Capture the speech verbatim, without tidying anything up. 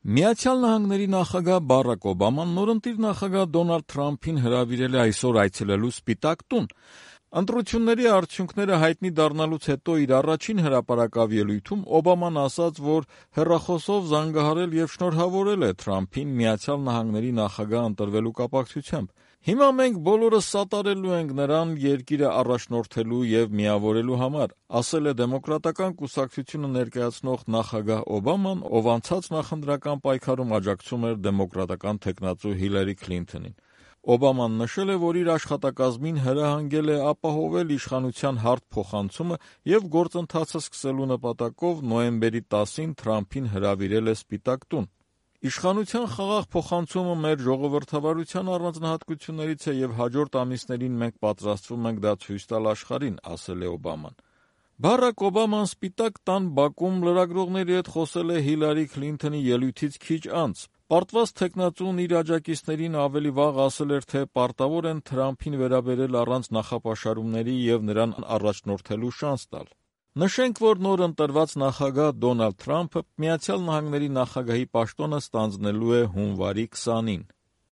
Միացյալ Նահանգների նախագահ Բարաք Օբաման նորընտիր նախագահ Դոնալդ Թրամփին հրավիրել է այսօր այցելելու Սպիտակ տուն։ Ընտրությունների արդյունքները հայտնի դառնալուց հետո իր առաջին հրապարակավ ելույթում Օբաման ասաց, որ հեռախոսով զանգահարել եւ շնորհավորել է Թրամփին Միացյալ Նահանգների նախագահ ընտրվելու կապակցությամբ։ Հիմա մենք բոլորս սատարելու ենք նրան երկիրը առաջնորդելու եւ միավորելու համար, ասել է Դեմոկրատական կուսակցությունը ներկայացնող նախագահ Օբաման, ով անցած նախընտրական պայքարում աջակցում էր դեմոկրատական թեկնածու Հիլարի Քլինթոնին։ Օբաման նշել է, որ իր աշխատակազմին հրահանգել է ապահովել իշխանության հարթ փոխանցումը եւ գործընթացը սկսելու նպատակով նոյեմբերի տասին Թրամփին հրավիրել է Սպիտակ տուն։ Իշխանության խաղաղ փոխանցումը մեր ժողովրդավարության առանձնահատկություններից է եւ հաջորդ ամիսներին մենք պատրաստվում ենք դա ցույց տալ աշխարհին, ասել է Օբաման։ Բարաք Օբաման Սպիտակ տան բակում լրագրողների հետ խոսել է Հիլարի Քլինթոնի ելույթից քիչ անց։ Պարտված թեկնածուն իր աջակիցներին ավելի վաղ ասել էր, թե պարտավոր են Թրամփին վերաբերել առանց նախապաշարումների եւ նրան առաջնորդելու շանս տալ։ Նշենք, որ նոր ընտրված նախագահ Դոնալդ Թրամփը Միացյալ Նահանգների նախագահի պաշտոնը ստանձնելու է հունվարի քսանին։